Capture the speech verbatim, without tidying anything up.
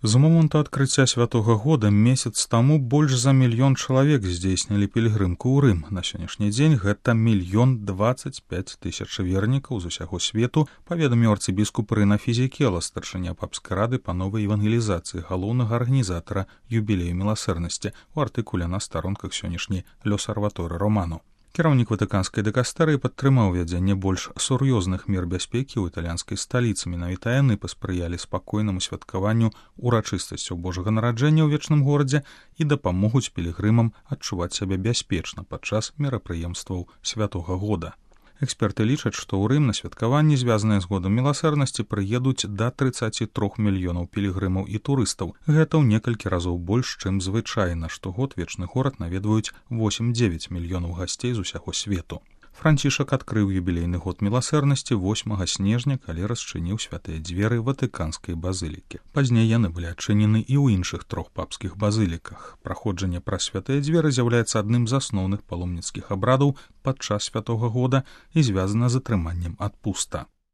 З моманту адкрыцця святога года месяц таму больш за мільён чалавек здзейснілі пільгрымку ў Рым. На сённяшні дзень гэта мільён дваццаць пяць тысяч вернікаў з усяго свету, паведаміў арцыбіскуп Рына Фізікела, старшыня папскай рады па новай евангелізацыі, галоўнага арганізатара юбілею міласэрнасці у артыкуле на старонках сённяшняй L'Osservatore Romano. Кіраўнік ватыканскай дыкастэрыі падтрымаў вядзенне больш сур'ёзных мер бяспекі ў італьянскай сталіцы. Менавіта яны паспрыялі спакойнаму святкаванню урачыстасцяў Божага нараджэння ў вечным горадзе і дапамогуць пілігрымам адчуваць сябе бяспечна падчас мерапрыемстваў святога года. Эксперты лічаць, што ў Рым на святкаванні, звязаныя з годам міласэрнасці, прыедуць да трыццаць тры мільёнаў пілігрымаў і турыстаў. Гэта ў некалькі разоў больш, чым звычайна. Штогод вечны горад наведваюць восем-дзевяць мільёнаў гасцей з усяго свету. Францішак адкрыў юбілейны год міласэрнасці восьмага снежня, калі расчыніў святыя дзверы ватыканскай базылікі. Пазней яны былі адчынены і ў іншых трох папскіх базыліках. Праходжанне праз святыя дзверы з'яўляецца адным з асноўных паломніцкіх абрадаў падчас святога года і звязана з атрыманнем адпуста.